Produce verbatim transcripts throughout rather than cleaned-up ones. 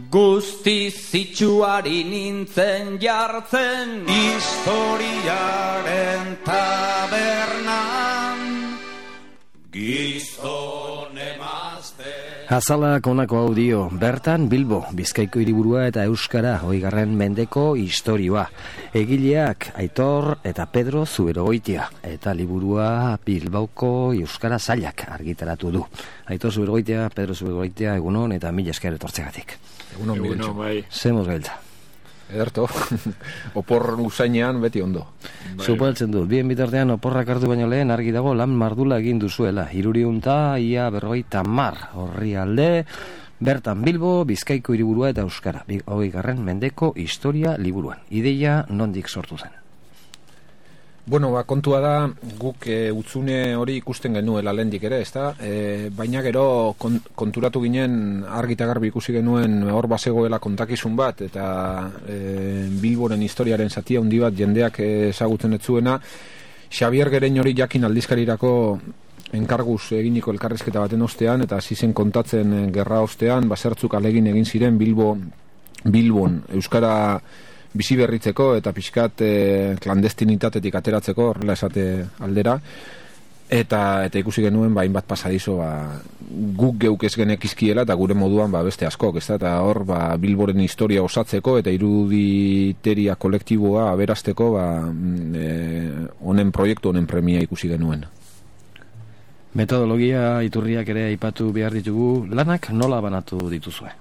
Guzti zitsuari nintzen jartzen historiaren tabernan gizon emazte. Azalak honako hau dio, bertan Bilbo, Bizkaiko hiriburua eta Euskara hogeigarren mendeko istorioa. Egileak Aitor eta Pedro Zuberogoitia, eta liburua Bilbauko Euskara Sailak argitaratu du. Aitor Zuberogoitia, Pedro Zuberogoitia, egunon eta mila esker etortzegatik. Egunon, egunon bai. Zemoz gailtza. Ederto, opor usainean beti ondo. Bai. Zupaltzen du, bien bitartean oporrak hartu baino lehen argi dago lan mardula egin duzuela. Hiruriunta, ia berrogeita mar, horri alde, bertan Bilbo, Bizkaiko hiriburua eta Euskara, hogeigarren mendeko historia liburuan. Ideia nondik sortu zen? Bueno, ba, kontua da, guk e, utzune hori ikusten genuela lehendik ere, ezta? E, baina gero kon, konturatu ginen argi eta garbi ikusi genuen hor bazegoela kontakizun bat, eta e, Bilboren historiaren zatia handi bat jendeak ezagutzen ez zuena. Xabier Gerein hori jakin aldizkarirako enkarguz eginiko elkarrizketa baten ostean, eta hasi zen kontatzen gerra ostean, basertzuk alegin egin ziren Bilbo, Bilbon, Euskara bizi berritzeko eta pixkat e, klandestinitatetik ateratzeko, horrela esate aldera, eta eta ikusi genuen ba, hainbat pasadizo ba, guk geuk ez genekizkiela eta gure moduan ba, beste askok, ez da, eta hor ba, Bilboren historia osatzeko eta iruditeria kolektiboa aberasteko ba, e, honen proiektu, honen premia ikusi genuen. Metodologia iturriak ere aipatu behar ditugu, lanak nola banatu dituzue?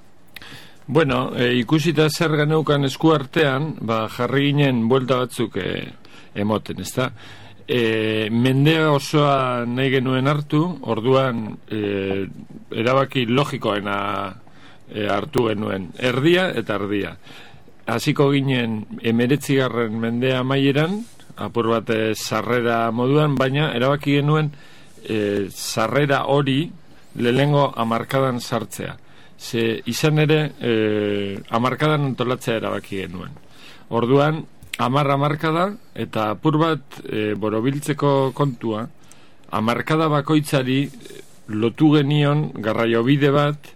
Bueno, e, ikusita zer geneukan esku artean, ba, jarri ginen buelta batzuk e, emoten, ezta? E, mende osoa nahi genuen hartu, orduan e, erabaki logikoena e, hartu genuen, erdia eta erdia. Hasiko ginen emeretzigarren mendea amaieran, apur bat e, sarrera moduan, baina erabaki genuen e, sarrera hori lehengo hamarkadan sartzea. Ze izan ere e, hamarkadan antolatzea erabaki genuen. Orduan, hamar hamarkada eta apur bat e, borobiltzeko kontua, hamarkada bakoitzari lotu genion garraiobide bat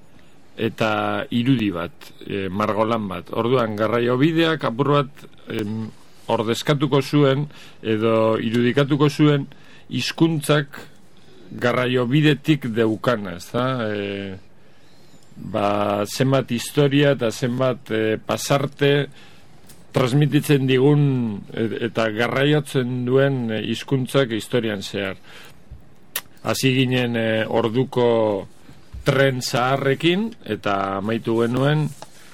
eta irudi bat, e, margolan bat. Orduan, garraiobideak apur bat e, ordezkatuko zuen edo irudikatuko zuen hizkuntzak garraiobidetik deukana, ez da? E, ba, zenbat historia eta zenbat e, pasarte transmititzen digun eta garraiotzen duen hizkuntzak historian zehar. Hasi ginen e, orduko tren zaharrekin eta amaitu genuen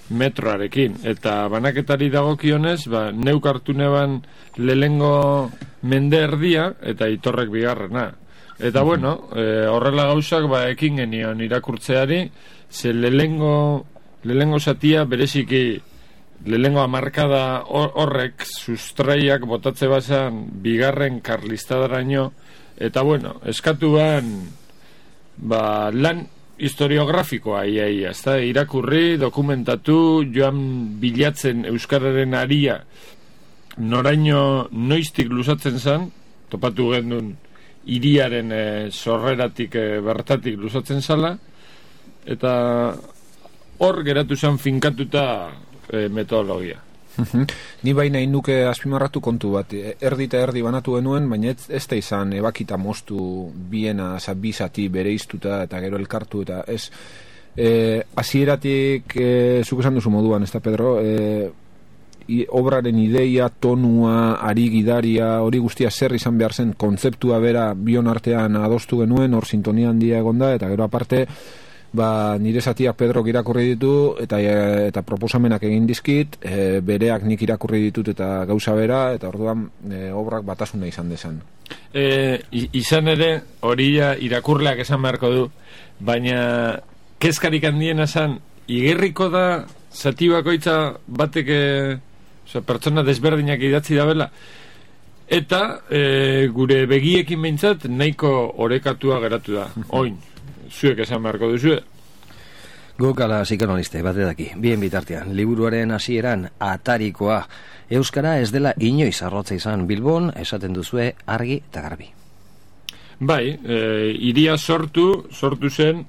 metroarekin. Eta banaketari dagokionez, ba, neuk hartu neban lehengo mende erdia eta Aitorrek bigarrena. Eta bueno, e, horrela gauzak ba, ekin genion irakurtzeari, ze lehengo, lehengo zatia bereziki lehengo hamarkada horrek sustraiak botatze bazan bigarren karlistadaraino, eta bueno, eskatu ban ba, lan historiografikoa ia ia, ez da, irakurri, dokumentatu, joan bilatzen euskararen aria noraino noiztik luzatzen zan, topatu gendun hiriaren e, sorreratik e, bertatik luzatzen zala, eta hor geratu zen finkatuta e, metodologia. Ni baina induke azpimarratu kontu bat, erdi eta erdi banatu genuen, baina ez, ez da izan ebakita moztu biena, zabizati bere iztuta eta gero elkartu, eta ez e, hasieratik e, zuk esan duzu moduan, ez da Pedro, e, i, obraren ideia, tonua, ari gidaria, hori guztia zer izan behar zen, kontzeptua bera bion artean adostu genuen, hor sintonia handia egonda, eta gero aparte ba, nire zatiak Pedrok irakurri ditu eta, eta proposamenak egin dizkit, e, bereak nik irakurri ditut eta gauza bera, eta orduan e, obrak batasuna izan dezan. E, izan ere, hori irakurleak esan beharko du, baina kezkarik handiena zan, igerriko da zati bakoitza batek e, oza, pertsona desberdinak idatzi dabela, eta e, gure begiekin behintzat nahiko orekatua geratu da, oin. Zuek esan beharko duzu. Guk ala psikanaliste bate daki, bien bitartean, liburuaren hasieran atarikoa, Euskara ez dela inoiz arrotza izan Bilbon, esaten duzue argi eta garbi. Bai, e, iria sortu, sortu zen,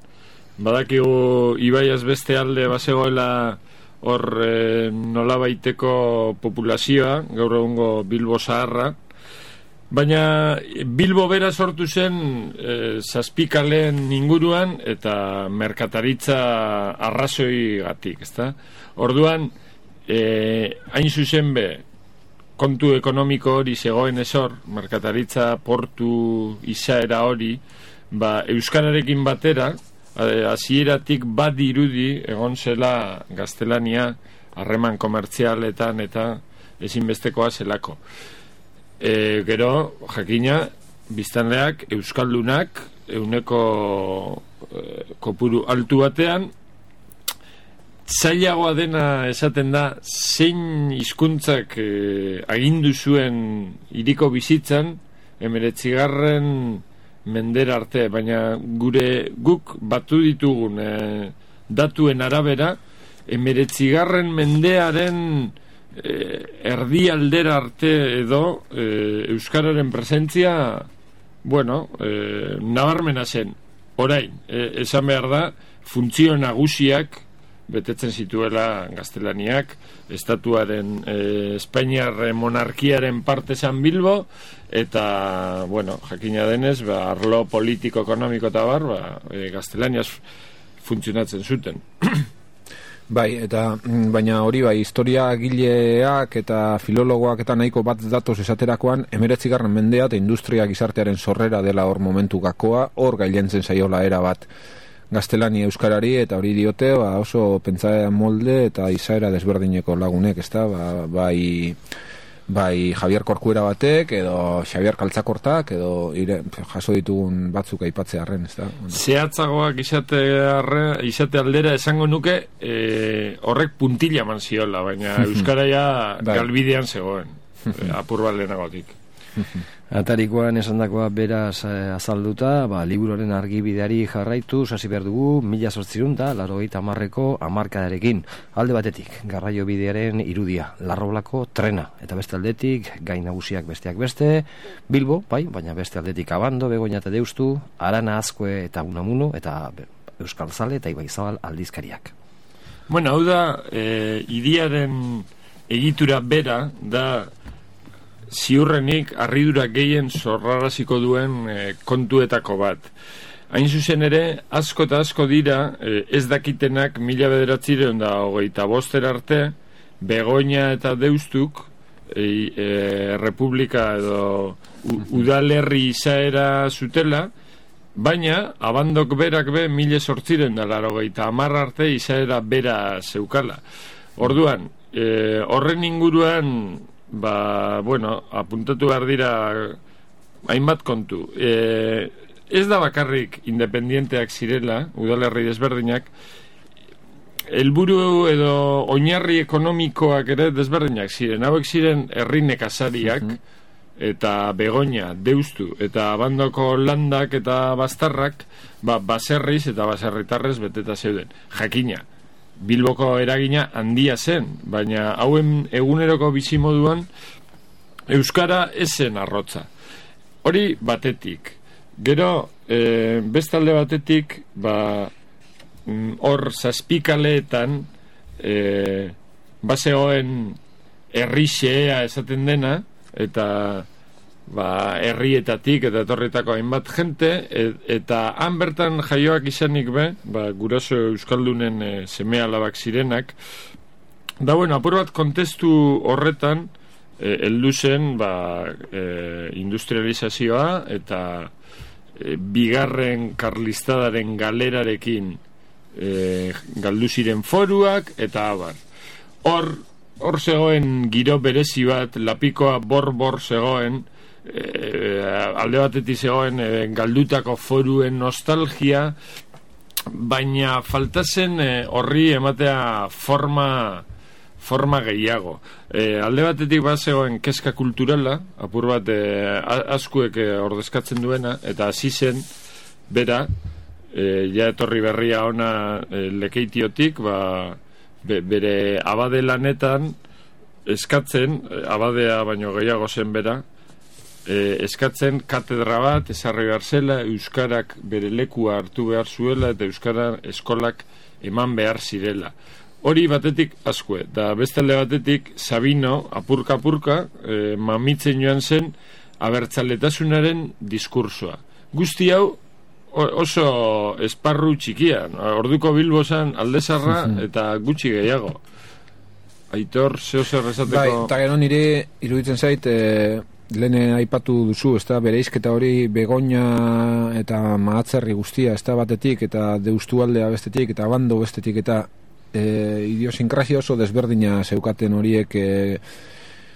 badakigu ibaiaz beste alde bazegoela hor e, nolabaiteko populazioa, gaur egungo Bilbo zaharra, baina Bilbo bera sortu zen e, zazpikaleen inguruan eta merkataritza arrazoi gatik, ezta? Orduan, e, hain zuzen be, kontu ekonomiko hori zegoen ezor, merkataritza portu izaera hori, ba, euskararekin batera, hasieratik bat dirudi egon zela gaztelania harreman komertzialetan eta ezinbestekoa zelako. E, gero, jakina, biztanleak, euskaldunak, euneko e, kopuru altu batean, zailagoa dena esaten da zein hizkuntzak e, agindu zuen hiriko bizitzan, hemeretzigarren mendera arte, baina gure guk batu ditugun e, datuen arabera, hemeretzigarren mendearen e, erdi aldera arte edo e, euskararen presentzia, bueno, e, nabarmena zen. Orain, e, esan behar da, funtzio nagusiak betetzen zituela gaztelaniak, estatuaren e, Espainiar monarkiaren parte San Bilbo, eta, bueno, jakina denez, ba, arlo politiko-ekonomiko eta bar, ba, e, gaztelaniaz funtzionatzen zuten. Bai, eta baina hori bai, historia gileak eta filologoak eta nahiko bat datoz esaterakoan, hemeretzigarren mendea eta industria gizartearen sorrera dela hor momentu gakoa, hor gailentzen zaiola era bat gaztelania euskarari, eta hori diote ba, oso pentsaera molde eta izaera desberdineko lagunek, ezta? Ba, bai, bai Javier Corcuera batek edo Xavier Kaltzakortak edo ire, jaso ditugun batzuk aipatzearren, ezta? Zehatzagoak izate, arre, izate aldera esango nuke e, horrek puntila eman ziola, baina euskaraia galbidean zegoen, e, apur bat lehenagotik. Atarikoan esandakoa beraz eh, azalduta, ba, liburuaren argibideari jarraitu, hasi behar dugu, mila zortzirun da, laurogeita hamarreko hamarkadarekin. Alde batetik, garraio bidearen irudia, Larroblako trena, eta beste aldetik, gai nagusiak besteak beste, Bilbo, bai, baina beste aldetik Abando, Begoña eta Deustu, Arana, Azkue eta Unamuno, eta Euskal Zale eta Ibaizabal aldizkariak. Bueno, hau da, e, iriaren egitura bera, da, ziurrenik harridura gehien zorraraziko duen e, kontuetako bat. Hain zuzen ere, asko eta asko dira, e, ez dakitenak mila bederatzireun da hogeita boster arte, Begoña eta Deustuk, e, e, Republika edo u, udalerri izaera zutela, baina Abandok berak be mila sortziren da larogeita hamar arte izaera bera zeukala. Orduan, e, horren inguruan, ba, bueno, apuntatu behar dira hainbat kontu. E, ez da bakarrik independienteak zirela, udalerri desberdinak, helburu edo oinarri ekonomikoak ere desberdinak ziren. Hauek ziren herri nekazariak, eta Begoña, Deustu, eta Abandoko landak eta bastarrak, ba, baserriz eta baserritarrez beteta zeuden. Jakina, Bilboko eragina handia zen, baina hauen eguneroko bizimoduan euskara ez zen arrotza. Hori batetik. Gero, e, bestalde batetik, ba, hor zazpikaleetan e, bazegoen herri xea esaten dena, eta ba, herrietatik eta etorritako hainbat jente, et, eta han bertan jaioak izanik be, ba, guraso euskaldunen e, seme alabak zirenak, da bueno, apur bat kontestu horretan e, heldu zen ba, e, industrializazioa eta e, bigarren karlistadaren galerarekin e, galdu ziren foruak eta abar. Hor, hor zegoen giro berezi bat, lapikoa bor-bor zegoen, E, alde batetik zegoen e, galdutako foruen nostalgia, baina faltazen e, horri ematea forma forma gehiago. E, alde batetik bat zegoen kezka kulturala, apur bat e, askuek e, ordezkatzen duena, eta hasi zen bera, e, ja etorri berria ona e, Lekeitiotik, ba, be, bere abade lanetan eskatzen, abadea baino gehiago zen bera, E, eskatzen katedra bat ezarri behar zela, euskarak bere lekua hartu behar zuela eta euskara eskolak eman behar zirela. Hori batetik Azkue, da beste alde batetik Sabino, apurka-apurka, e, mamitzen joan zen abertzaletasunaren diskursoa. Guzti hau oso esparru txikian, orduko Bilbo zen Aldezarra eta gutxi gehiago. Aitor, zeo zer esateko... Bai, eta gero nire iruditzen zait, e, lehen aipatu duzu, ez da, bereizketa hori Begoña eta Mahatzerri guztia, ez da, batetik, eta Deustualdea bestetik, eta Abando bestetik, eta e, idiosinkrasia oso desberdina zeukaten horiek e,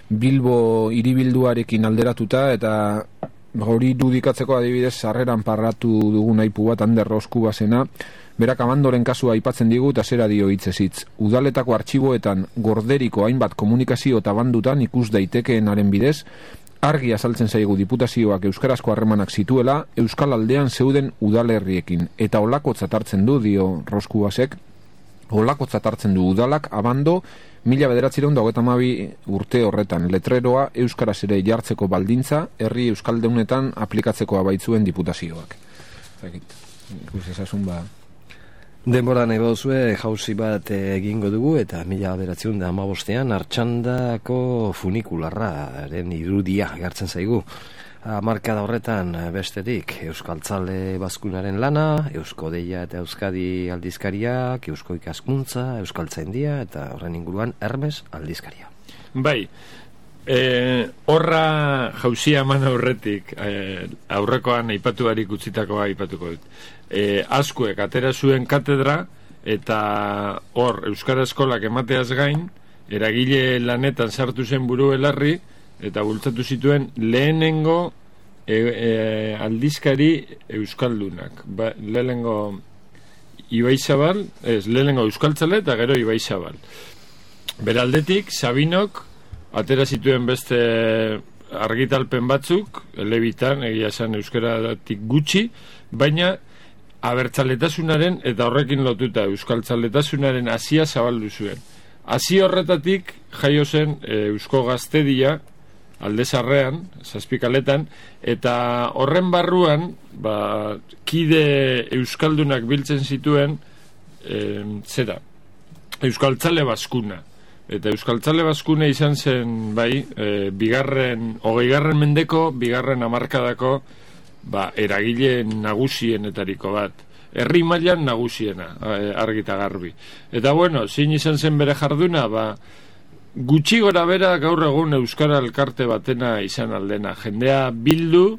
Bilbo hiribilduarekin alderatuta, eta hori dudikatzeko adibidez sarreran parratu dugun aipu bat Ander Roskubasena, berak Abandoren kasua aipatzen digu eta zera dio hitzez hitz. Udaletako artxiboetan gorderiko hainbat komunikazio eta bandutan ikus daitekeenaren bidez, argi azaltzen zaigu diputazioak euskarazko harremanak zituela Euskal Aldean zeuden udalerriekin, eta olakotzat hartzen du, dio Roskubasek, olakotzat hartzen du udalak Abando mila bederatziehun eta hogeita hamabi urte horretan letreroa euskaraz ere jartzeko baldintza herri euskaldeunetan aplikatzekoa baitzuen diputazioak. Ikus ezasun ba... Denbora nahi baduzue jauzi bat egingo dugu eta mila bederatziehun eta hamabostean Artxandako funikularraren irudia gartzen zaigu. Hamarkada horretan bestetik Euskaltzale Bazkunaren lana, Eusko Deia eta Euskadi aldizkariak, Eusko Ikaskuntza, Euskaltzaindia eta horren inguruan Hermes aldizkaria. Bai, e, horra jauzia eman aurretik, e, aurrekoan aipatu barik utzitakoa aipatuko dut. E, Azkuek atera zuen katedra eta hor Euskara Eskolak emateaz gain, eragile lanetan sartu zen buru belarri, eta bultzatu zituen lehenengo e, e, aldizkari euskaldunak. Ba, lehenengo Ibaizabal, ez, lehenengo Euskaltzale eta gero Ibaizabal. Beraldetik, Sabinok atera zituen beste argitalpen batzuk, elebitan, egia esan euskaratik gutxi, baina abertzaletasunaren eta horrekin lotuta euskaltzaletasunaren hasia zabaldu zuen. Hasi horretatik jaio zen e, Eusko Gaztedia Aldezarrean, zazpikaletan, eta horren barruan ba, kide euskaldunak biltzen zituen e, zera, Euskaltzale Bazkuna. Eta Euskaltzale Bazkuna izan zen bai, e, bigarren, hogeigarren mendeko, bigarren hamarkadako ba, eragile nagusienetariko bat. Herri mailan nagusiena, argita garbi. Eta bueno, zein izan zen bere jarduna, ba, gutxi gora bera gaur egun Euskara Elkarte batena izan aldena. Jendea bildu,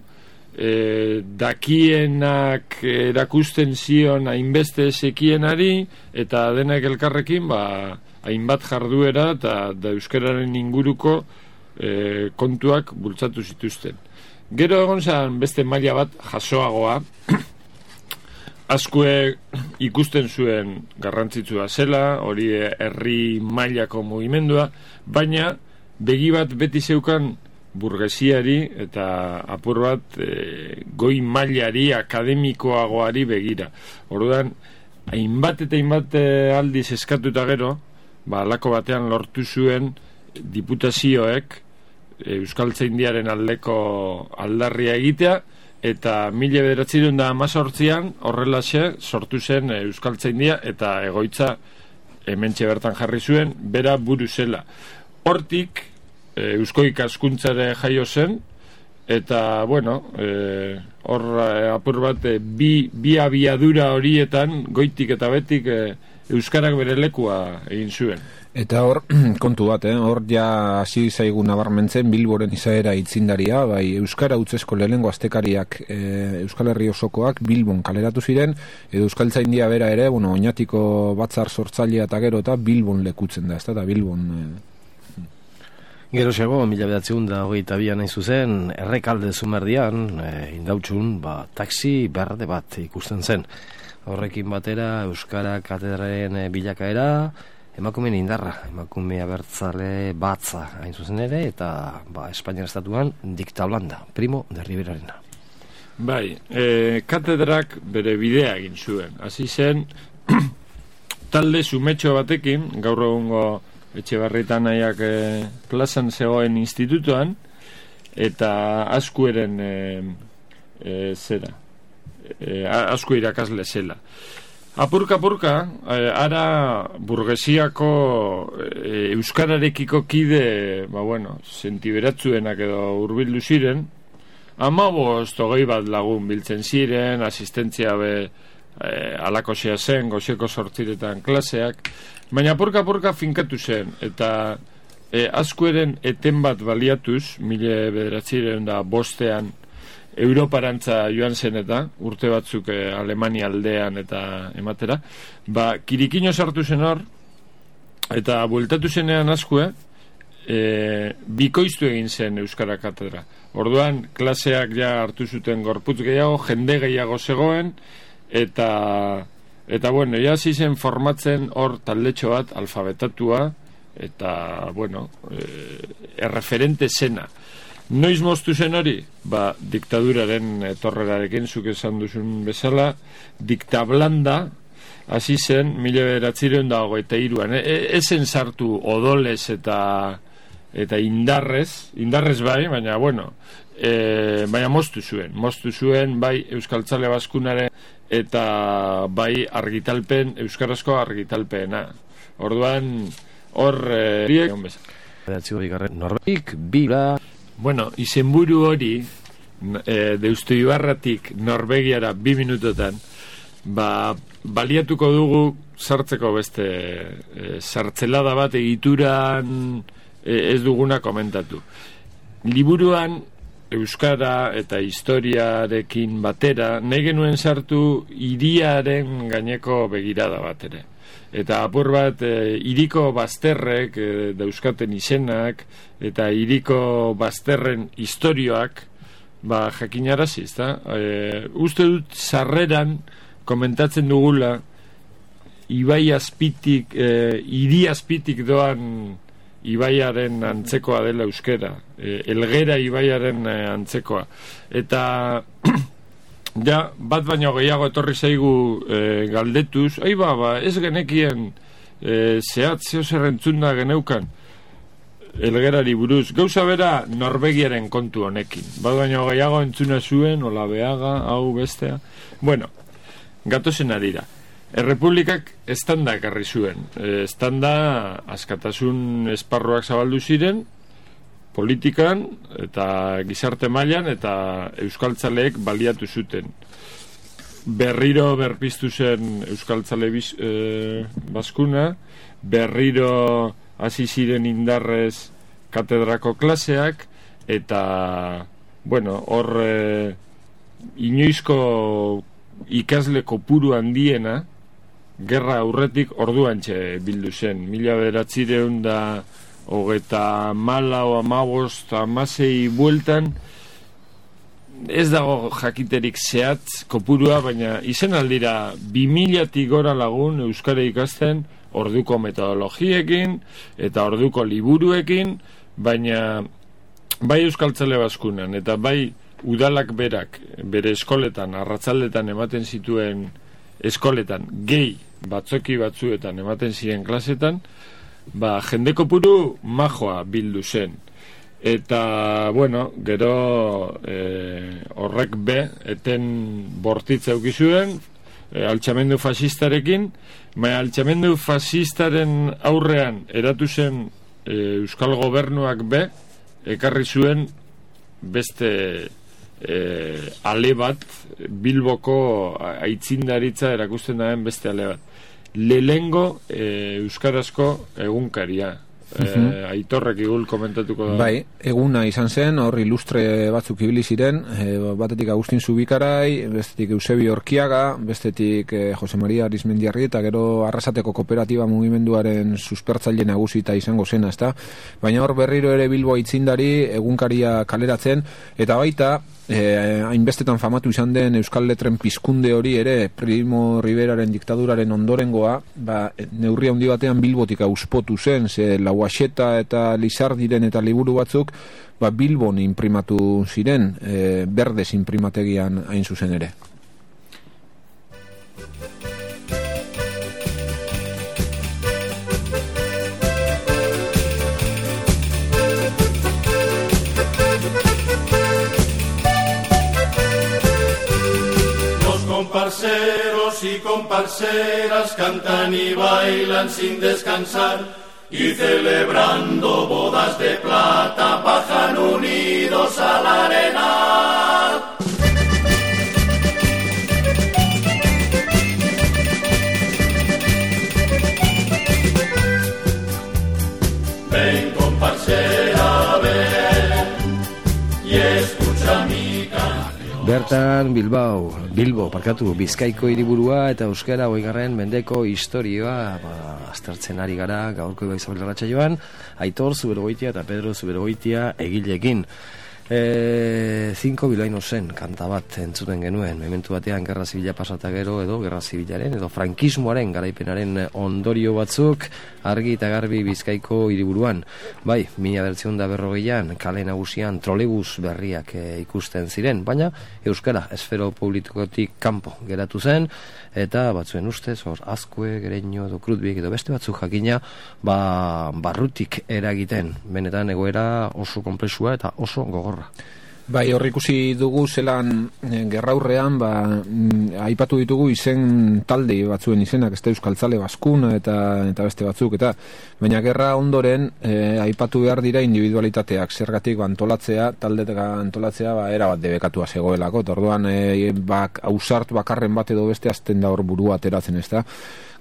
e, dakienak erakusten zion hainbeste sekienari, eta denak elkarrekin, ba, hainbat jarduera eta da euskararen inguruko e, kontuak bultzatu zituzten. Gero egon zen beste maila bat jasoagoa, Azkue ikusten zuen garrantzitsua zela, hori herri mailako mugimendua, baina begi bat beti zeukan burgesiari eta apur bat e, goi mailari, akademikoagoari begira. Orduan, hainbat eta hainbat aldiz eskatuta gero, ba, alako batean lortu zuen diputazioek Euskaltzaindiaren aldeko aldarria egitea, eta mila bederatziehun eta hamazortzian horrelaxe sortu zen Euskaltzaindia eta egoitza hementxe bertan jarri zuen, bera buru zela. Hortik e, Eusko Ikaskuntzare jaio zen, eta bueno, e, hor e, apur bat e, bi, bi abiadura horietan goitik eta betik e, Euskarak bere lekua egin zuen. Eta hor, kontu bat, eh? Hor ja hasi zaigu nabarmentzen Bilboren izaera itzindaria, bai Euskara utzesko lehenengo astekariak e, Euskal Herri osokoak Bilbon kaleratu ziren, edo Euskaltzaindia bera ere, bueno, oinatiko batzar sortzailea eta gero eta Bilbon lekutzen da, ez da, Bilbon... E... Gero xego, mila bedatzeun da hogeita bian nahi zuzen, Errekalde Zumardian, e, indautxun, ba, taxi berde bat ikusten zen. Horrekin batera, Euskara katedraren bilakaera, emakumeen indarra, emakume abertzale batza hain zuzen ere, eta ba, Espainiar estatuan diktablanda, Primo de Riverarena. Bai, e, katedrak bere bidea egin zuen. Hasi zen, talde zumetxo batekin, gaur egungo Etxebarritan nahiak e, plazan zegoen institutoan, eta Azkueren e, e, zera, e, Azku irakasle zela. Apurka-apurka, eh, ara burgesiako eh, euskararekiko kide, ba bueno, sentiberatzuenak edo hurbildu ziren, hamabost hogei bat lagun biltzen ziren, asistentzia be eh, alakosia zen, goizeko sortziretan klaseak, baina apurka-apurka finkatu zen, eta eh, azkueren eten bat baliatuz, mila bederatziren da bostean, Europarantza joan zen eta urte batzuk eh, Alemania aldean eta ematera, ba, kirikino sartu zen hor, eta bueltatu zenean askue, e, bikoiztu egin zen Euskara Katedra. Orduan, klaseak ja hartu zuten gorputz gehiago, jende gehiago zegoen, eta, eta bueno, ja zen formatzen hor taldetxo bat, alfabetatua, eta, bueno, e, erreferente zena. Noiz moztu zen hori? Ba, diktaduraren etorrerarekin, zuk esan duzun bezala, diktablanda, hasi zen, mila bederatzireun da hogeita iruan. E, esen sartu odolez eta eta indarrez, indarrez bai, baina, bueno, e, baina moztu zuen. Moztu zuen, bai, Euskaltzale Baskunaren eta bai argitalpen, euskarazko argitalpena. Orduan, hor... E, Norbeik, bila... Bueno, izenburu hori e, Deustu Ibarratik Norvegiara bi minutotan ba, baliatuko dugu sartzeko beste e, sartzelada bat egituran e, ez duguna komentatu. Liburuan euskara eta historiarekin batera nahi genuen sartu hiriaren gaineko begirada bat ere. Eta apur bat, e, hiriko bazterrek e, dauzkaten izenak, eta hiriko bazterren istorioak, ba, jakinarazi, ezta? E, uste dut, sarreran komentatzen dugula, ibai azpitik, e, hiri azpitik doan ibaiaren antzekoa dela euskera, e, elgera ibaiaren e, antzekoa. Eta... Ja, bat baino gehiago etorri zaigu e, galdetuz, ai ba, ba, ez genekien e, zehat zeo zerrentzunda geneukan elgerari buruz. Gauza bera Norvegiaren kontu honekin. Bat baino gehiago entzuna zuen, Olabeaga, hau bestea. Bueno, gatozen arira. Errepublikak estanda ekarri zuen. E, estanda askatasun esparruak zabaldu ziren, politikan eta gizarte mailan eta euskaltzaleek baliatu zuten. Berriro berpiztu zen euskaltzale biz, e, baskuna, berriro hasi ziren indarrez katedrako klaseak, eta, bueno, hor e, inoizko ikasle kopuru handiena, gerra aurretik orduantxe bildu zen. Mila bederatzireun da hogeta mala o amabost amasei bueltan, ez dago jakiterik zehatz kopurua, baina izen aldira bi milatik gora lagun euskara ikasten orduko metodologiekin eta orduko liburuekin, baina bai Euskaltzale Baskunan eta bai udalak berak bere eskoletan, arratzaldetan ematen zituen eskoletan, gehi batzoki batzuetan ematen ziren klasetan, ba, jende kopuru majoa bildu zen. Eta, bueno, gero e, horrek be, eten bortitza eukizuen, e, altxamendu fasistarekin, baina altxamendu fasistaren aurrean eratu zen e, Euskal Gobernuak be, ekarri zuen beste e, ale bat, Bilboko aitzindaritza erakusten daren beste ale bat. Lehengo e, euskarazko egunkaria. E, Aitorrek igul komentatuko da. Bai, eguna izan zen, hor ilustre batzuk ibili ziren, e, batetik Agustin Zubikarai, bestetik Eusebio Orkiaga, bestetik e, Jose Maria Arizmendiarri, eta gero Arrasateko Kooperatiba mugimenduaren suspertzaile nagusita izango zena, ezta? Baina hor berriro ere Bilbo aitzindari egunkaria kaleratzen, eta baita Eh, hainbestetan famatu izan den Euskal Letren pizkunde hori ere Primo Riveraren diktaduraren ondorengoa, ba, neurri handi batean Bilbotik auspotu zen, ze Lauaxeta eta Lizardiren eta liburu batzuk ba, Bilbon imprimatu ziren, eh, Berdez imprimategian hain zuzen ere. parceros y comparseras cantan y bailan sin descansar, y celebrando bodas de plata bajan unidos al arenal. Ven comparsera, ven y escucha mi canción. Bertan Bilbao, Bilbo, parkatu, Bizkaiko hiriburua eta euskara hogeigarren mendeko historioa ba, aztertzen ari gara gaurko Ibai Zabal irratsaioan, Aitor Zuberogoitia eta Pedro Zuberogoitia egileekin. E, Cinco Bilbaino zen kanta bat entzuten genuen, mementu batean gerra zibila pasata gero edo gerra zibilaren edo frankismoaren garaipenaren ondorio batzuk argi eta garbi Bizkaiko hiriburuan. Bai, mila bederatziehun eta berrogeian kale nagusian trolebus berriak e, ikusten ziren, baina euskara esfero politikotik kanpo geratu zen, eta batzuen ustez, hor, Azkue, Gereño edo Krutbik edo beste batzuk jakina, ba, barrutik eragiten, benetan egoera oso konplexua eta oso gogorra. Bai, hor ikusi dugu zelan e, gerraurrean, ba, m, aipatu ditugu izen talde batzuen izenak, ez da Euskaltzale Baskuna eta, eta beste batzuk, eta baina gerra ondoren e, aipatu behar dira individualitateak, zergatik ba, antolatzea, taldetega antolatzea, ba, era bat debekatua zegoelako, eta orduan e, bak, ausart bakarren bat edo beste azten da hor burua ateratzen, ez da.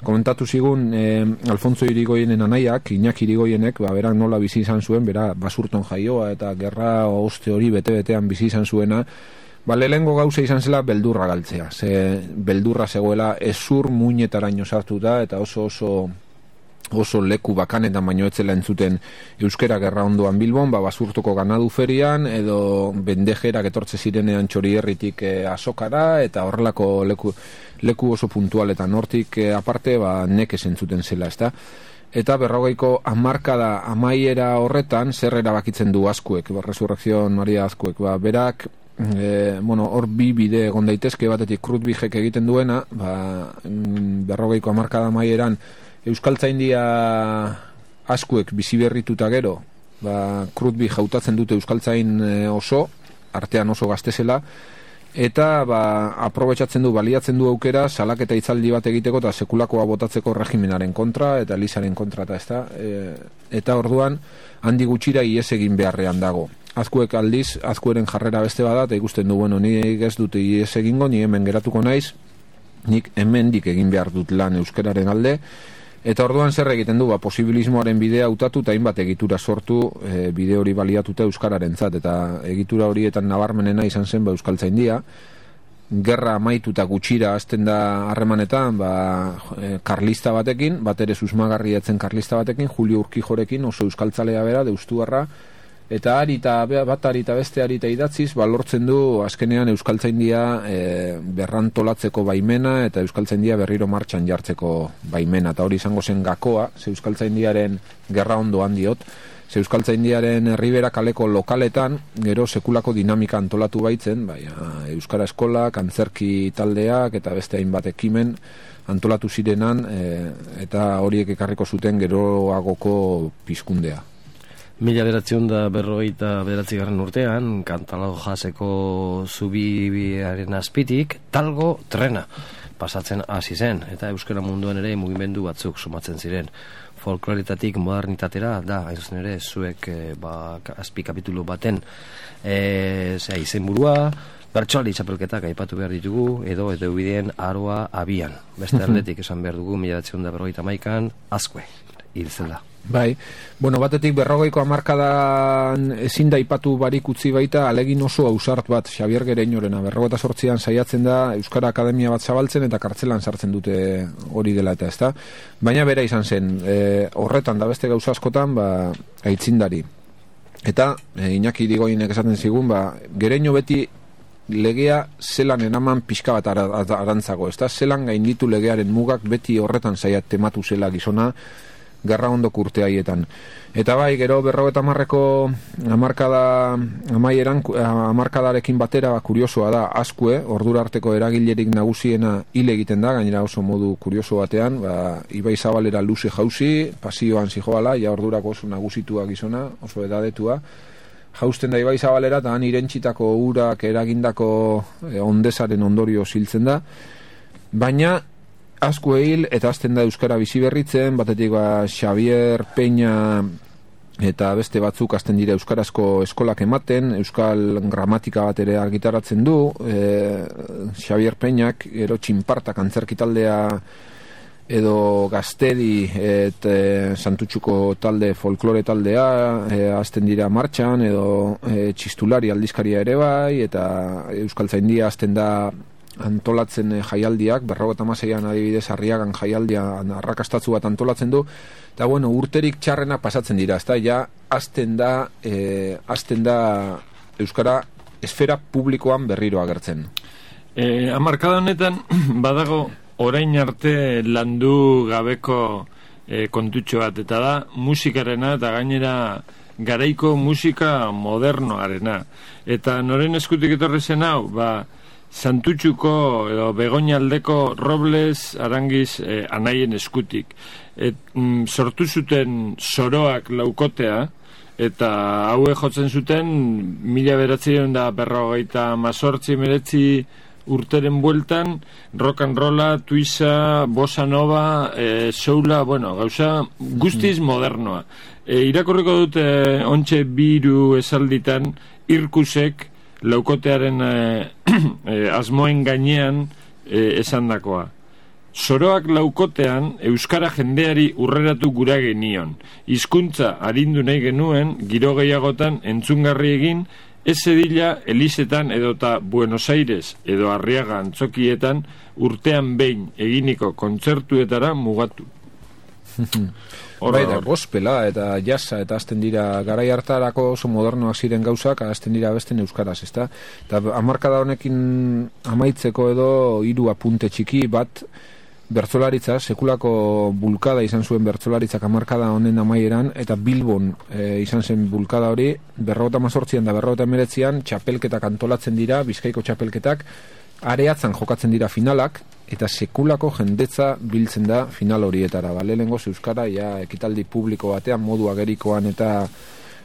Komentatu zigun eh, Alfonso Irigoyenen anaiak, Iñaki Irigoyenek, ba, berak nola bizi izan zuen, bera basurton jaioa eta gerra oste hori bete-betean bizi izan zuena, ba, lehengo gauza izan zela beldurra galtzea, ze beldurra zegoela ezur muinetaraino sartuta eta oso oso oso leku bakanetan baino etzela entzuten euskera gerra ondoan Bilbon, ba, basurtoko ganadu ferian edo bendejerak etortze zirenean Txorierritik eh, Azokara eta horrelako leku, leku oso puntualetan hortik eh, aparte ba, nekez entzuten zela, ezta? Eta berrogeiko hamarkada amaiera horretan zer erabakitzen du Azkuek, ba, Resurrección Maria Azkuek, ba, berak E, bueno, hor bi bide egon daitezke, batetik Krutbijek egiten duena, ba, berrogeiko hamarkada amaieran Euskaltzaindia Azkuek bizi berrituta gero, ba, Krutbij hautatzen dute Euskaltzain oso, artean oso gaztezela, eta ba, aprobetxatzen du, baliatzen du aukera salaketa hitzaldi bat egiteko eta sekulakoa botatzeko regimenaren kontra eta Elisaren kontra eta ez da, e, eta orduan handi gutxira ies egin beharrean dago. Azkuek aldiz, Azkueren jarrera beste bada, eta ikusten du, bueno, nik ez dute ies egingo, ni hemen geratuko naiz, nik hemendik egin behar dut lan euskararen alde, eta orduan zer egiten du, ba, posibilismoaren bidea hautatu eta hainbat egitura sortu, e, bide hori baliatuta euskararen zat, eta egitura horietan nabarmenena izan zen ba, Euskaltzaindia, gerra amaituta gutxira hasten da harremanetan, ba, e, karlista batekin, bat ere susmagarria etzen karlista batekin, Julio Urkijorekin, oso euskaltzalea bera, deustuarra, eta ari eta bat ari eta beste ari eta idatziz, ba, lortzen du azkenean Euskaltzaindia e, berrantolatzeko baimena eta Euskaltzaindia berriro martxan jartzeko baimena, eta hori izango zen gakoa, ze Euskaltzaindiaren gerra ondoan diot, ze Euskaltzaindiaren herribera kaleko lokaletan, gero sekulako dinamika antolatu baitzen, bai, Euskara Eskola, Antzerki taldeak eta beste hainbat ekimen antolatu zirenan, e, eta horiek ekarriko zuten geroagoko pizkundea. Mila bederatziehun da berrogeita bederatzigarren urtean, Kantalago jaseko zubiaren azpitik, talgo trena pasatzen hasi zen, eta euskara munduan ere mugimendu batzuk sumatzen ziren. Folkloretatik modernitatera da, hain zuzen ere, zuek e, ba, azpi kapitulu baten e, zera, izenburua, bertsoaldi txapelketak aipatu behar ditugu, edo edo bideen aroa abian. Beste aldetik esan behar dugu, mila bederatziehun da berrogeita hamaikan, Azkue, hil zen da. Bai, bueno, batetik berrogeiko hamarkadan ezin da ipatu barik utzi baita alegin oso ausart bat Xabier Gereñorena, berrogeita zortzian saiatzen da Euskara Akademia bat zabaltzen eta kartzelan sartzen dute hori dela eta ezta. Baina bera izan zen, e, horretan da beste gauza askotan, ba, aitzindari. Eta e, Iñaki Irigoyenek esaten zigun, ba, Gereño beti legea zelan enaman pixka bat arantzago, ezta? Zelan gainditu legearen mugak beti horretan saiat tematu zela gizona, gerra ondoko urte haietan. Eta bai, gero berrogeita hamarreko hamarkada amaieran, hamarkadarekin batera, kuriosoa da, Azkue, ordura arteko eragilerik nagusiena hil egiten da, gainera oso modu kurioso batean, ba, Ibai Zabalera luze jauzi, pasioan zijoala, ja ordurako oso nagusitua gizona, oso edadetua, jausten da Ibai Zabalera, eta han irentsitako urak eragindako e, ondesaren ondorio ziltzen da, baina asko hil eta azten da euskara bizi berritzen, batetik ba Xavier Peña eta beste batzuk azten dira euskarazko eskolak ematen, euskal gramatika bat ere argitaratzen du, e, Xavier Peñak, gero Txinpartak antzerki taldea edo Gaztedi et e, Santutxuko talde, folklore taldea e, azten dira martxan, edo e, Txistulari aldizkaria ere bai, eta Euskaltzaindia azten da antolatzen jaialdiak, berrogeita hamaseian adibidez Arriagan jaialdia arrakastatzu bat antolatzen du, eta bueno, urterik txarrena pasatzen dira, ezta, ja, azten da, e, azten da euskara esfera publikoan berriro agertzen. E, amarkada honetan, badago orain arte landu gabeko e, kontutxo bat, eta da musikarena eta gainera garaiko musika modernoarena. Eta noren eskutik etorri zen hau, ba, Santutxuko edo Begoñaldeko Robles Arangiz eh, anaien eskutik. Et, mm, sortu zuten soroak laukotea, eta haue jotzen zuten mila beratzen da berrogeita mazortzi meretzi urteren bueltan, rock and rolla, tuisa, bossa nova, eh, soula, bueno, gauza guztiz modernoa. E, irakurriko dute ontxe biru esalditan Irkusek laukotearen eh, eh, asmoen gainean eh, esandakoa. Soroak laukotean euskara jendeari urreratu gura genion. Hizkuntza arindu nahi genuen giro gehiagotan entzungarri egin, ez zedila Elisetan edota Buenos Aires edo Arriaga antzokietan urtean behin eginiko kontzertuetara mugatu. Bai, da, gospela eta jazza eta azten dira garai hartarako oso modernoak ziren gauzak, azten dira besten euskaraz, ezta? Eta hamarkada honekin amaitzeko edo hiru apunte txiki bat, bertsolaritza, sekulako bulkada izan zuen bertsolaritzak hamarkada honen amaieran, eta Bilbon e, izan zen bulkada hori, berrogeta mazortzian da berrogeta emeretzian, txapelketak antolatzen dira, Bizkaiko txapelketak, areatzan jokatzen dira finalak, eta sekulako jendetza biltzen da final horietara. Ba, lehenengoz euskara, ja, ekitaldi publiko batean, modu agerikoan eta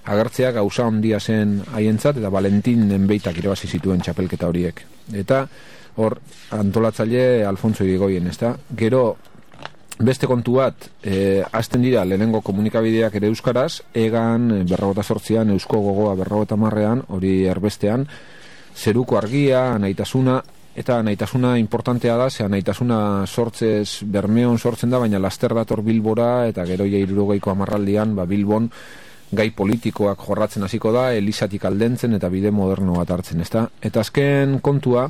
agertzea gauza handia zen haientzat, eta Valentin Enbeitak irabazi zituen txapelketa horiek. Eta hor, antolatzaile Alfonso Irigoyen, ezta? Gero, beste kontu bat, e, azten dira lehenengo komunikabideak ere euskaraz, egan, berrogeta sortzian, eusko gogoa berrogeta marrean, hori erbestean, zeruko argia, anaitasuna, eta anaitasuna importantea da, ze anaitasuna sortzez, Bermeon sortzen da, baina laster dator Bilbora, eta gero ja hirurogeiko hamarraldian, ba, Bilbon gai politikoak jorratzen hasiko da, Elisatik aldentzen eta bide moderno bat hartzen, ezta? Eta azken kontua,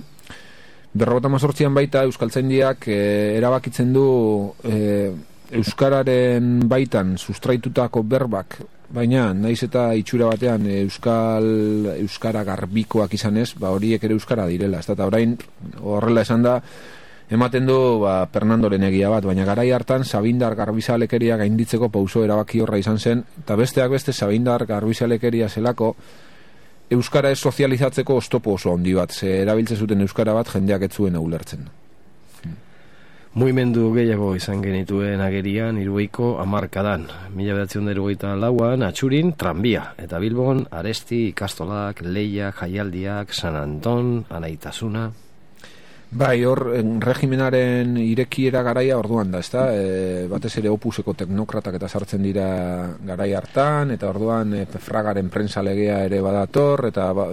berrogeta mazortzian baita Euskaltzaindiak e, erabakitzen du e, euskararen baitan sustraitutako berbak, baina naiz eta itxura batean euskal euskara garbikoak izanez, ba horiek ere euskara direla, ezta? Eta orain horrela esan da ematen du ba Fernandoren egia bat, baina garai hartan Sabindar garbizalekeria gainditzeko pauso erabaki horra izan zen, eta besteak beste Sabindar garbizalekeria zelako euskara ez sozializatzeko oztopo oso handi bat, ze erabiltzen zuten euskara bat jendeak ez zuen ulertzen. Mugimendu gehiago izan genituen agerian hirurogeiko hamarkadan. Mila bederatziehun eta hirurogeita lauan Atxurin tranbia, eta Bilbon Aresti, ikastolak, lehiak, jaialdiak, San Anton, anaitasuna. Bai, hor regimenaren irekiera garaia orduan da, ezta? E, batez ere opuseko teknokratak eta sartzen dira garai hartan, eta orduan e, Fragaren prensa legea ere badator, eta ba,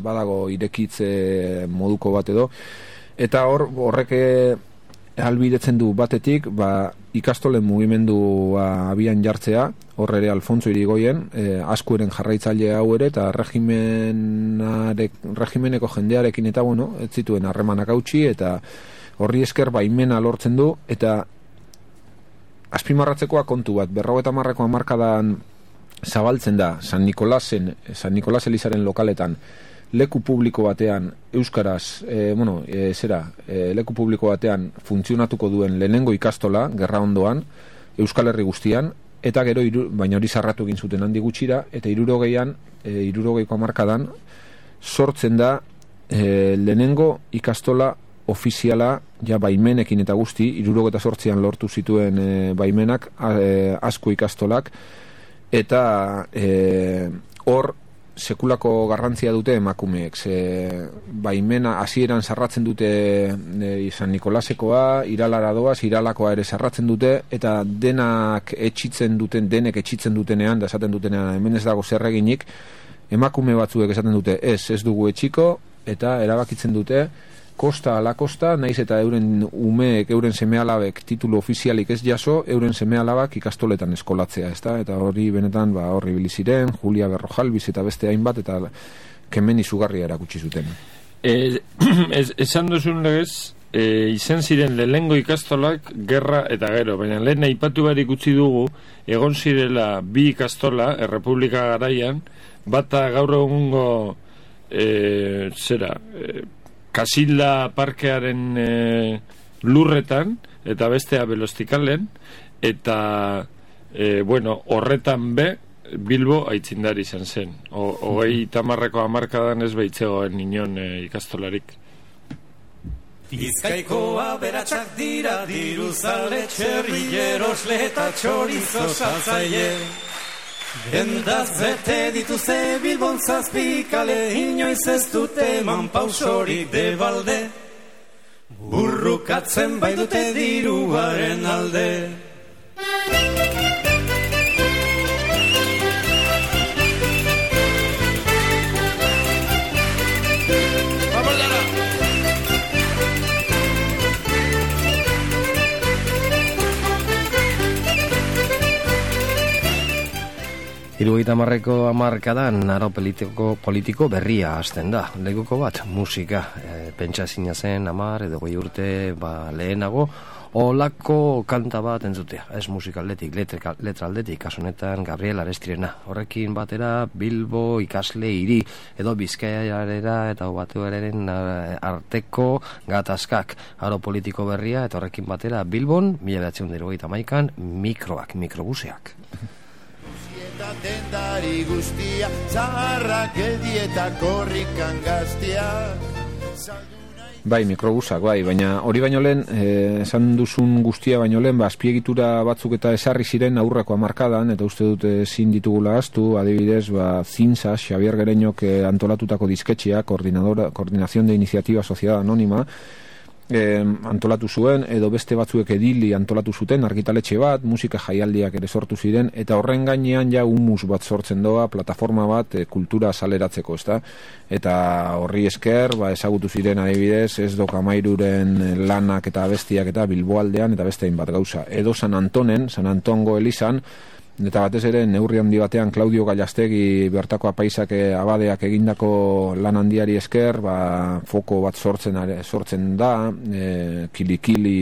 badago irekitze moduko bat edo. Eta hor horrek albidetzen du batetik, ba, ikastolen mugimendua abian jartzea, hor ere Alfonso Irigoyen, e, askueren jarraitzaile hau ere, eta regimeneko jendearekin eta, bueno, ez zituen harremanak hautsi, eta horri esker baimena lortzen du, eta azpimarratzekoa kontu bat, berrogeta marreko hamarkadan zabaltzen da San Nikolasen, San Nikolas Elizaren lokaletan, leku publiko batean euskaraz, e, bueno, e, zera, e, leku publiko batean funtzionatuko duen lehenengo ikastola, gerra ondoan, Euskal Herri guztian, eta gero, iru, baina hori zarratu egin zuten handi gutxira, eta hirurogeian, e, hirurogeiko hamarkadan, sortzen da e, lehenengo ikastola ofiziala, ja baimenekin eta guzti, hirurogeta sortzian lortu zituen e, baimenak, e, asko ikastolak, eta e, hor, sekulako garrantzia dute emakumeek. Ze, baimena hasieran sarratzen dute e, San Nikolasekoa, Iralara doaz, Iralakoa ere sarratzen dute, eta denak etxitzen duten, denek etxitzen dutenean, da esaten dutenean, hemen ez dago zerreginik, emakume batzuek esaten dute, ez, ez dugu etxiko, eta erabakitzen dute, kosta ala kosta, naiz eta euren umeek, euren semealabek titulu ofizialik ez jaso, euren semealabak ikastoletan eskolatzea, ezta? Eta hori benetan, ba, horri biliziren, Julia Berrojalbiz eta beste hainbat, eta kemen izugarria erakutsi zuten. E, ez, esan duzun legez, e, izan ziren lehengo ikastolak gerra eta gero, baina lehen aipatu barik utzi dugu, egon zirela bi ikastola, Errepublika garaian, bata gaur egungo e, zera, e, Kasilda parkearen e, lurretan, eta bestea Belostikalen, eta e, bueno, horretan be, Bilbo aitzindari izan zen. Hogei tamarreko hamarkadan ez behitzegoen inon e, ikastolarik. Bizkaikoa beratxak dira, diruzale, txerrilleros, leta, txorizo, saltzaile. Endaz bete dituze Bilbon zazpikale, inoiz ez dute eman pausorik de balde, burrukatzen bai dute diruaren alde. Hirurogeita hamarreko hamarkadan aro politiko, politiko berria hasten da. Lekuko bat, musika. E, pentsa zina zen hamar edo goi urte ba, lehenago, olako kanta bat entzutea. Ez musika aldetik, letra, letra aldetik, kasunetan Gabriel Arestirena. Horrekin batera Bilbo ikasle hiri edo Bizkaiarera eta Batuaren arteko gatazkak. Aro politiko berria eta horrekin batera Bilbon, mila bederatziehun eta hirurogeita hamaikan, mikroak, mikrobuseak. Eta dendari guztia, zaharrak eldieta korrikan gaztiak. Bai, mikrobusak, bai, baina hori baino lehen, eh, esan duzun guztia baino lehen, ba, azpiegitura batzuk eta esarri ziren aurreko hamarkadan, eta uste dute ezin ditugula ahaztu, adibidez, ba, Zinsa, Xabier Gereñok eh, antolatutako disketxea, Coordinación de Iniciativa Sociedad Anónima, E, antolatu zuen, edo beste batzuek edili antolatu zuten, argitaletxe bat, musika jaialdiak ere sortu ziren, eta horren gainean ja humus bat sortzen doa, plataforma bat e, kultura saleratzeko, ezta? Eta horri esker, ba, ezagutu ziren adibidez, ez doka mairuren lanak eta bestiak eta Bilboaldean, eta beste hainbat gauza. Edo San Antonen, San Antongo elizan, eta batez ere neurri handi batean Claudio Gallastegi bertako apaisak abadeak egindako lan handiari esker, ba, foko bat sortzen sortzen da, e, kili-kili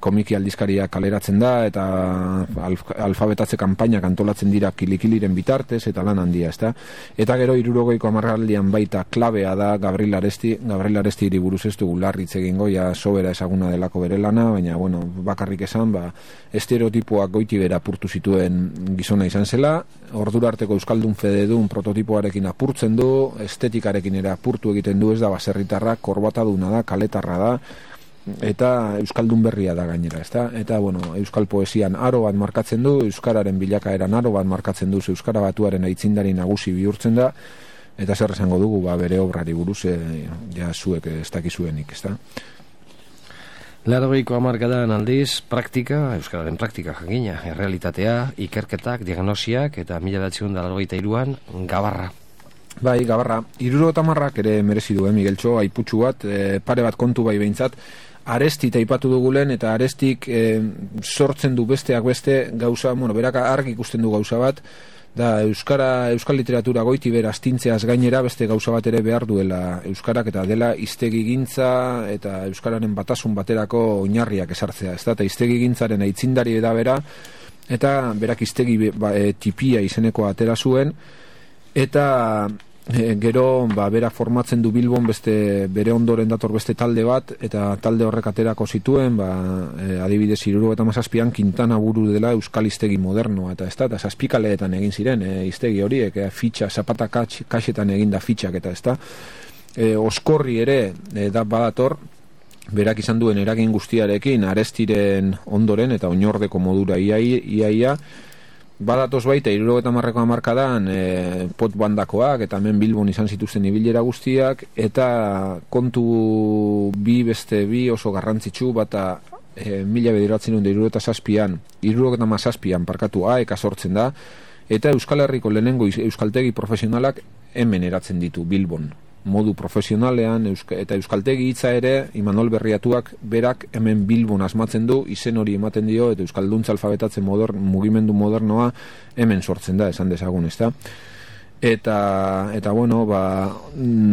komiki aldizkaria kaleratzen da, eta alf, alfabetatze kanpainak antolatzen dira kilikiliren bitartez, eta lan handia, ezta? Eta gero hirurogeiko hamarraldian baita klabea da Gabriel Aresti, Gabriel Aresti buruz ez dugu larritz egingo, ja sobera ezaguna delako bere lana, baina, bueno, bakarrik esan, ba, estereotipoak goiti bera apurtu zituen gizona izan zela, ordura arteko euskaldun fededun prototipoarekin apurtzen du, estetikarekin ere apurtu egiten du, ez da baserritarra, korbataduna da, kaletarra da, eta euskaldun berria da gainera, ezta? Eta bueno, euskal poesian aro bat markatzen du, euskararen bilakaeran aro bat markatzen du, euskara batuaren aitzindari nagusi bihurtzen da, eta zer esango dugu, ba, bere obrari buruz, e, ja zuek ez dakizuenik, ezta? Laurogeiko hamarkadan aldiz, praktika, euskararen praktika jakina, errealitatea, ikerketak, diagnosiak, eta mila bederatziehun eta laurogeita hiruan gabarra. Bai, gabarra, hirurogeita hamarrak ere merezi du, eh, Migueltxo, aiputxu bat, e, pare bat kontu bai behintzat, Aresti taipatu dugulen, eta Arestik e, sortzen du besteak beste gauza, bueno, berak argi ikusten du gauza bat, da euskara, euskal literatura goiti bera astintzeaz gainera beste gauza bat ere behar duela euskarak, eta dela hiztegigintza eta euskararen batasun baterako oinarriak esartzea, ez da, eta hiztegigintzaren aitzindari da bera, eta berak hiztegi ba, e, tipia izeneko atera zuen, eta E, gero ba, bera formatzen du Bilbon beste bere ondoren dator beste talde bat, eta talde horrek aterako zituen, ba, e, adibidez hirurogeita hamazazpian Quintana buru dela euskal hiztegi modernoa, eta ez da, eta zazpikaleetan egin ziren e, hiztegi horiek, e, fitxa, zapata kaxetan eginda fitxak, eta ez da, e, oskorri ere e, da badator, berak izan duen eragin guztiarekin Arestiren ondoren eta oinordeko modura iaia, ia, ia, badatoz baita hirurogeita hamarreko hamarkadan e, pot bandakoak eta hemen Bilbon izan zituzten ibilera guztiak, eta kontu bi beste bi oso garrantzitsu, bata e, mila bederatzen dut hirurogeita zazpian, hirurogeita hamazazpian parkatu aeka sortzen da, eta Euskal Herriko lehenengo euskaltegi profesionalak hemen eratzen ditu Bilbon. Modu profesionalean, euska, eta euskaltegi hitza ere Imanol Berriatuak berak hemen Bilbon asmatzen du, izen hori ematen dio, eta euskalduntza alfabetatzen modern, mugimendu modernoa hemen sortzen da, esan dezagun, ezta? Eta, eta bueno, ba,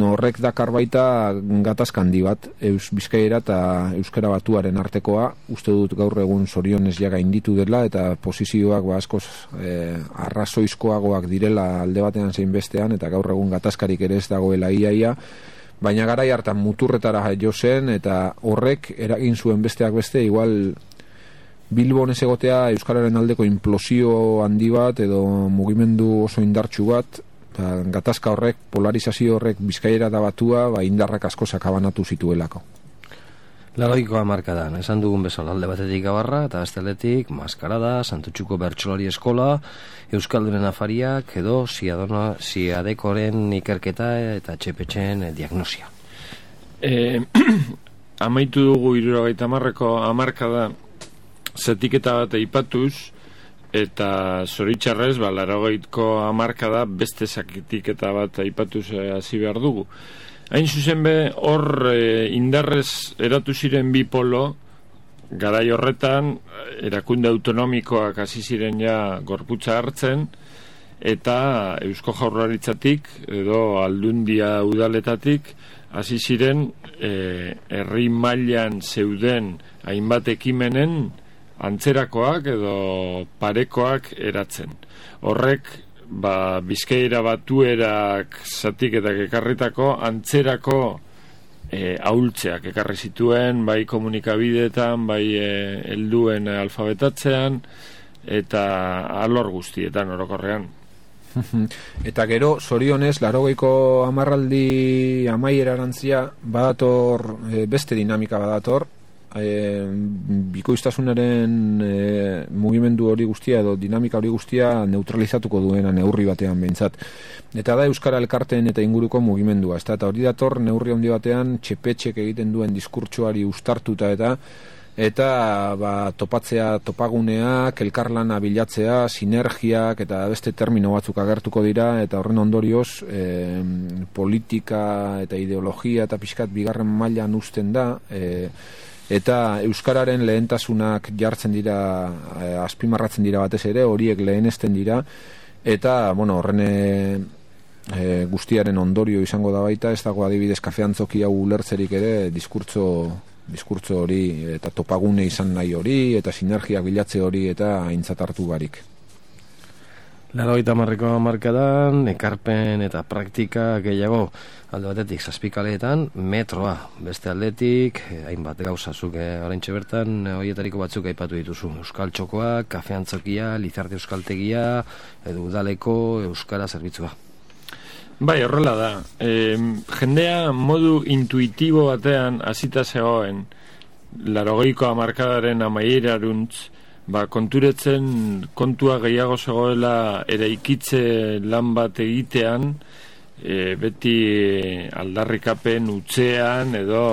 horrek dakar baita gatazka handi bat, eus Bizkaiera eta euskara batuaren artekoa, uste dut gaur egun zorionez ja gainditu dela, eta posizioak ba, askoz eh, arrazoizkoagoak direla alde batean zein bestean, eta gaur egun gatazkarik ere ez dagoela iaia, baina garai hartan muturretara jo zen, eta horrek eragin zuen besteak beste, igual Bilbon ez egotea euskararen aldeko implosio handi bat, edo mugimendu oso indartsu bat, eta gatazka horrek, polarizazio horrek Bizkaiera da batua, ba, indarrak asko sakabanatu zituelako. Laroiko hamarkadan, esan dugun bezala alde batetik Gabarra, eta besteletik Maskarada, Santutxuko Bertsolari Eskola, Euskaldunen afariak, edo Ziadona, Ziadekoren ikerketa eta Txepetxen diagnosia. E, amaitu dugu hirurogeita hamarreko hamarkada zatiketa bat aipatuz, eta zoritxarrez, ba, laurogeiko hamarkada beste zatiketa bat aipatuz hasi behar dugu. Hain zuzen be, hor e, indarrez eratu ziren bi polo, garai horretan, erakunde autonomikoak hasi ziren ja gorputza hartzen, eta Eusko Jaurlaritzatik, edo Aldundia udaletatik, hasi ziren e, herri mailan zeuden hainbat ekimenen antzerakoak edo parekoak eratzen. Horrek, ba, Bizkaira batuerak zatiketak ekarritako antzerako e, ahultzeak ekarri zituen, bai komunikabideetan, bai e, helduen alfabetatzean, eta alor guztietan orokorrean. Eta gero, zorionez, laurogeiko hamarraldi amaiera erantzia, badator, e, beste dinamika badator, E, bikoiztasunaren e, mugimendu hori guztia edo dinamika hori guztia neutralizatuko duena neurri batean behintzat. Eta da Euskara Elkarteen eta inguruko mugimendua. Eta, eta hori dator neurri handi batean Txepetxek egiten duen diskurtsoari ustartuta eta eta ba, topatzea topaguneak, elkarlana bilatzea, sinergiak eta beste termino batzuk agertuko dira, eta horren ondorioz e, politika eta ideologia eta pixkat bigarren mailan uzten da, e, eta euskararen lehentasunak jartzen dira, eh, azpimarratzen dira batez ere, horiek lehenesten dira, eta bueno, horren e, guztiaren ondorio izango da baita, ez dago adibidez kafeantzoki hau ulertzerik ere, diskurtso diskurtso hori, eta topagune izan nahi hori, eta sinergiak bilatze hori, eta aintzat hartu barik. Laurogeita hamarreko hamarkadan, ekarpen eta praktika gehiago, alde batetik zazpikaleetan, metroa, beste aldetik, hainbat gauzazuk oraintxe bertan, horietariko batzuk aipatu dituzu. Euskal txokoa, kafeantzokia, Lizarte euskaltegia, edo udaleko euskara zerbitzua. Bai, horrela da. E, jendea modu intuitibo batean hasita zegoen, laurogeiko hamarkadaren amaieruntz, ba, konturetzen kontua gehiago zegoela eraikitze lan bat egitean, e, beti aldarrikapen utzean edo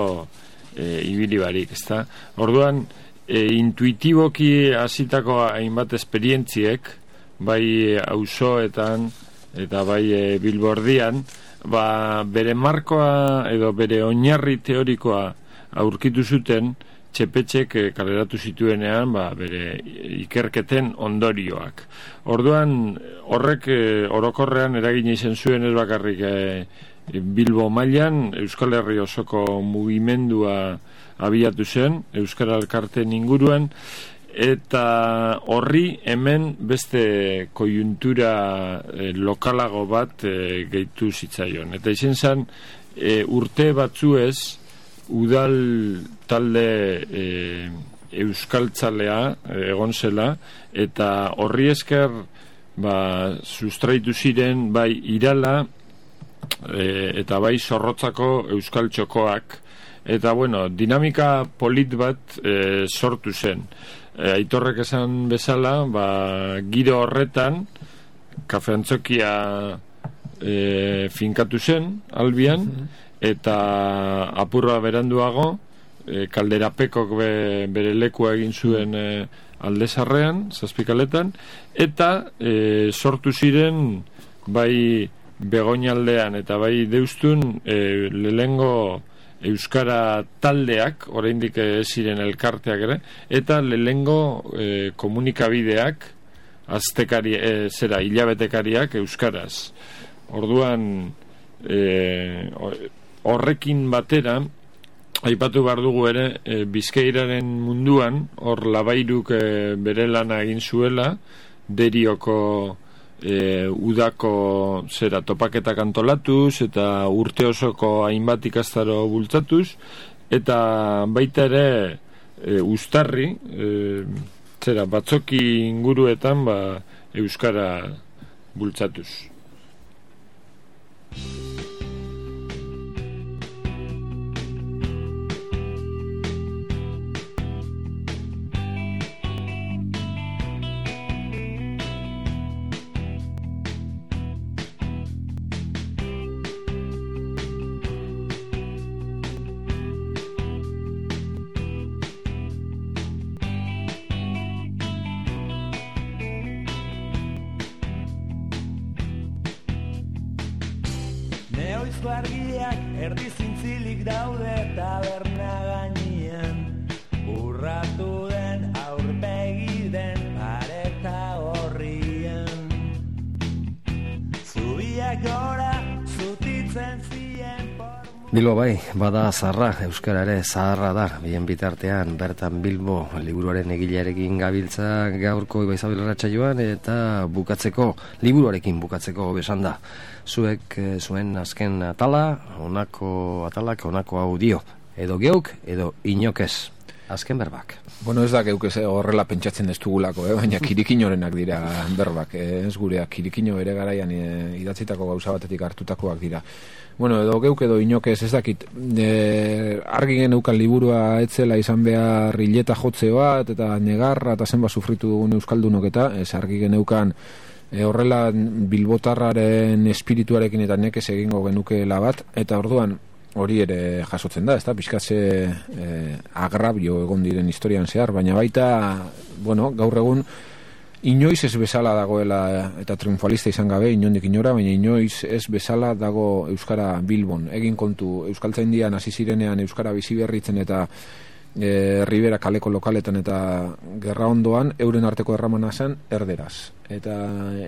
e, ibili barik, ezta? Orduan, e, intuitiboki hasitako hainbat esperientziek, bai auzoetan eta bai e, Bilbordian, ba, bere markoa edo bere oinarri teorikoa aurkitu zuten Txepetxek kaleratu zituenean, ba, bere ikerketen ondorioak. Orduan, horrek e, orokorrean eragina izan zuen ez bakarrik e, Bilbo mailan, Euskal Herri osoko mugimendua abiatu zen, Euskara Elkarteen inguruan, eta horri hemen beste koiuntura e, lokalago bat e, gehitu zitzaion. Eta izan zen, e, urte batzuez, udal talde e, euskaltzalea e, egon zela, eta horri esker ba, sustraitu ziren bai Irala e, eta bai Zorrotzako euskal txokoak, eta bueno, dinamika polit bat e, sortu zen. e, Aitorrek esan bezala, ba, giro horretan kafe antzokia e, finkatu zen albian, eta apurra beranduago e, Kalderapekok be, bere lekua egin zuen e, Aldezarrean, Zazpikaletan, eta e, sortu ziren bai Begoñaldean eta bai Deustun e, lehengo euskara taldeak, oraindik ez ziren elkarteak ere, eta lehengo e, komunikabideak aztekari, e, zera, hilabetekariak euskaraz. Orduan e, horrekin batera aipatu behar dugu ere e, Bizkairaren munduan hor Labairuk e, bere lana egin zuela, Derioko E, udako zera topaketak antolatuz eta urte osoko hainbat ikastaro bultzatuz, eta baita ere e, Uztarri e, zera batzoki inguruetan ba, euskara bultzatuz. Neoizko argiak erdi zintzilik daude taberna gainean, urratu den aurpegi den pareta horrian, zubiak gora zutitzen zien por... Bilbo bai, bada zaharra, euskara ere zaharra da, bien bitartean bertan Bilbo liburuaren egilearekin gabiltza gaurko Ibaizabel Arratsaioan, eta bukatzeko, liburuarekin bukatzeko besan da. Zuek zuen azken atala, honako atalak, honako hau dio, edo geuk, edo inokez. Azken berbak. Bueno, ez da geuk ez horrela pentsatzen ez dugulako, eh? Baina kirikinorenak dira berbak, eh? Ez gureak, kirikino ere garaian eh, idatzitako gauza batetik hartutakoak dira. Bueno, edo geuk edo inokez, ez dakit, e, argi geneukan liburua etzela izan behar hileta jotze bat, eta negarra eta zenba sufritu dugun euskaldunok, eta ez argi geneukan e, horrela bilbotarraren espirituarekin eta nekez egingo genukeela bat, eta orduan hori ere jasotzen da, ez da, pixkatze e, agrabio egon diren historian zehar, baina baita, bueno, gaur egun inoiz ez bezala dagoela, eta triunfalista izan gabe inondik inora, baina inoiz ez bezala dago euskara Bilbon. Egin kontu, euskaltzaindian hasi zirenean euskara biziberritzen eta e, Ribera kaleko lokaletan eta gerra ondoan euren arteko erramana zen erderaz. Eta,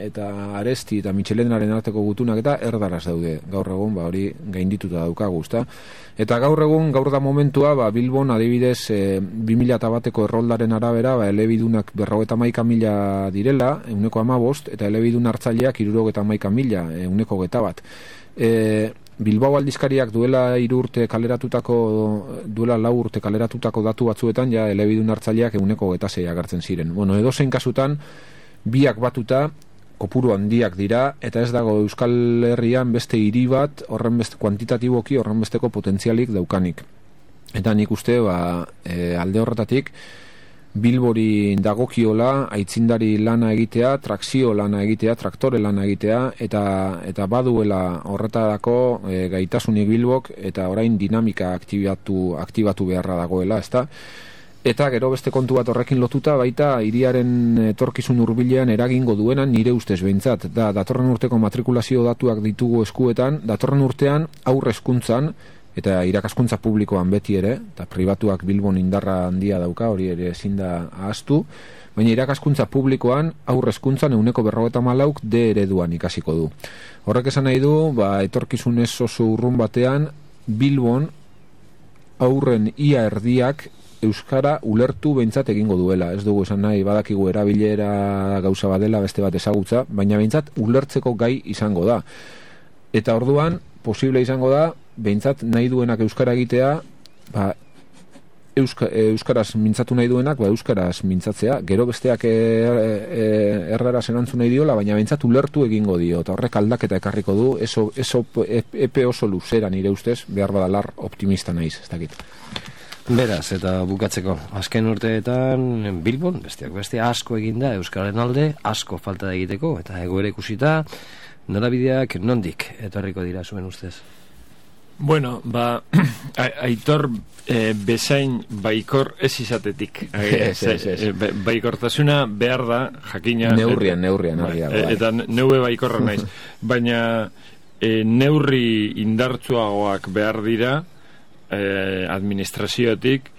eta Aresti eta Michelenaren arteko gutunak eta erdaraz daude. Gaur egun ba, hori gaindituta daukagu, ezta? Eta gaur egun, gaur da momentua, ba, Bilbon adibidez e, bi mila bateko erroldaren arabera, ba, elebidunak berrogeta maika mila direla, euneko amabost, eta elebidun hartzaileak irurogeta maika mila, euneko geta bat. E, Bilbao aldizkariak duela hiru urte kaleratutako, duela lau urte kaleratutako datu batzuetan, ja elebidun hartzaileak euneko geta zei agertzen ziren. Bueno, edozein kasutan, biak batuta kopuru handiak dira, eta ez dago Euskal Herrian beste hiri bat horren beste kuantitatiboki horren besteko potentzialik daukanik. Eta nik uste ba, e, alde horretatik Bilbori dagokiola aitzindari lana egitea, trakzio lana egitea, traktore lana egitea, eta eta baduela horretarako e, gaitasunik Bilbok, eta orain dinamika aktibatu aktibatu beharra dagoela, ezta? Eta gero beste kontu bat horrekin lotuta baita hiriaren etorkizun hurbilean eragingo duena nire ustez behintzat. Da, datorren urteko matrikulazio datuak ditugu eskuetan, datorren urtean aurre hezkuntzan eta irakaskuntza publikoan beti ere, eta pribatuak Bilbon indarra handia dauka, hori ere ezin da ahaztu, baina irakaskuntza publikoan aurre hezkuntzan euneko berrogeta malauk D ereduan ikasiko du. Horrek esan nahi du, ba, etorkizun ez oso urrun batean Bilbon aurren ia erdiak euskara ulertu behintzat egingo duela. Ez dugu esan nahi badakigu erabilera gauza badela beste bat ezagutza, baina behintzat ulertzeko gai izango da. Eta orduan, posible izango da, behintzat nahi duenak euskara egitea, ba, euska, euskaraz mintzatu nahi duenak, ba, euskaraz mintzatzea. Gero besteak e, e, erraraz erantzun nahi diola, baina behintzat ulertu egingo dio. Eta horrek aldaketa ekarriko du, eso, eso, epe oso luzera nire ustez, behar badalar optimista naiz, ez dakit. Beraz, eta bukatzeko, azken urteetan Bilbon, besteak beste asko eginda Euskararen alde, asko falta da egiteko, eta egoera ikusita, norabideak nondik etorriko dira zuen ustez? Bueno, ba, Aitor e, bezain baikor ez izatetik. Ez, ez, ez. E, baikortasuna behar da, jakina... Neurrian, neurrian, argi dago, bai. Eta neue baikorra naiz. Baina e, neurri indartsuagoak behar dira e, administraziotik,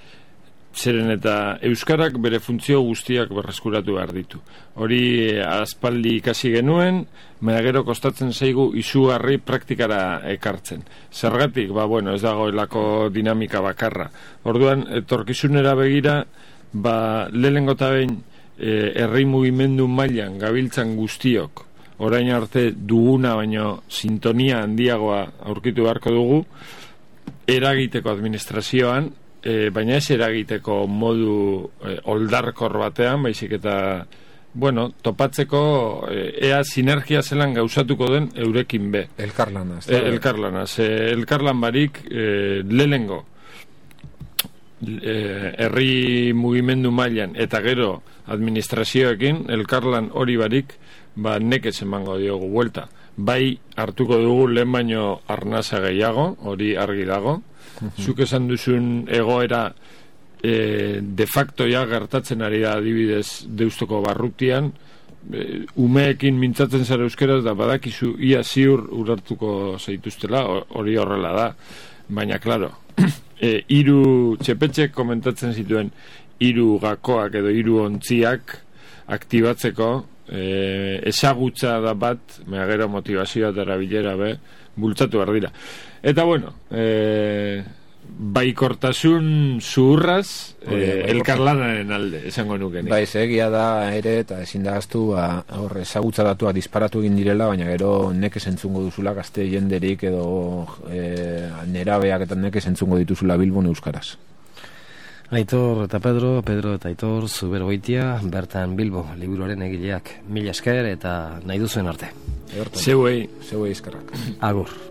zeren eta Euskarak bere funtzio guztiak berreskuratu behar ditu. Hori aspaldi ikasi genuen, baina gero kostatzen zaigu izugarri praktikara ekartzen. Zergatik, ba, bueno, ez dagoelako dinamika bakarra. Orduan, etorkizunera begira, ba, lehenengo eta behin e, herri mugimendu mailan gabiltzan guztiok, orain arte duguna baino sintonia handiagoa aurkitu beharko dugu, eragiteko administrazioan, E, baina ez eragiteko modu e, oldarkor batean, baizik eta, bueno, topatzeko e, ea sinergia zelan gauzatuko den eurekin be. Elkarlana. E, elkarlana. Ze elkarlan barik e, lehengo e, herri mugimendu mailan eta gero administrazioekin elkarlan hori barik, ba nekez emango diogu buelta. Bai hartuko dugu lehen baino arnasa gehiago, hori argi dago. Zuk esan duzun egoera e, de facto ja gertatzen ari da adibidez Deustoko barrutian, e, umeekin mintzatzen zara euskeraz da badakizu ia ziur urartuko zaituztela, hori horrela da, baina klaro, e, hiru txepetxek komentatzen zituen hiru gakoak edo hiru ontziak aktibatzeko, e, ezagutza da bat, mea gero motivazioa eta erabilera be, bultzatu behar dira. Eta bueno, e, baikortasun zuhurraz e, elkarlanaren alde, esango nuke. Bai, egia da ere, eta ezin da gaztu, ba, hor, ezagutza datua disparatu egin direla, baina gero nekez entzungo duzula gazte jenderik edo e, nerabeak eta nekez entzungo dituzula Bilbon euskaraz. Aitor eta Pedro, Pedro eta Aitor, Zuberogoitia, bertan Bilbo, liburuaren egileak. Mila esker eta nahi duzuen arte. Zeuei. Zeuei eskerrak. Agur.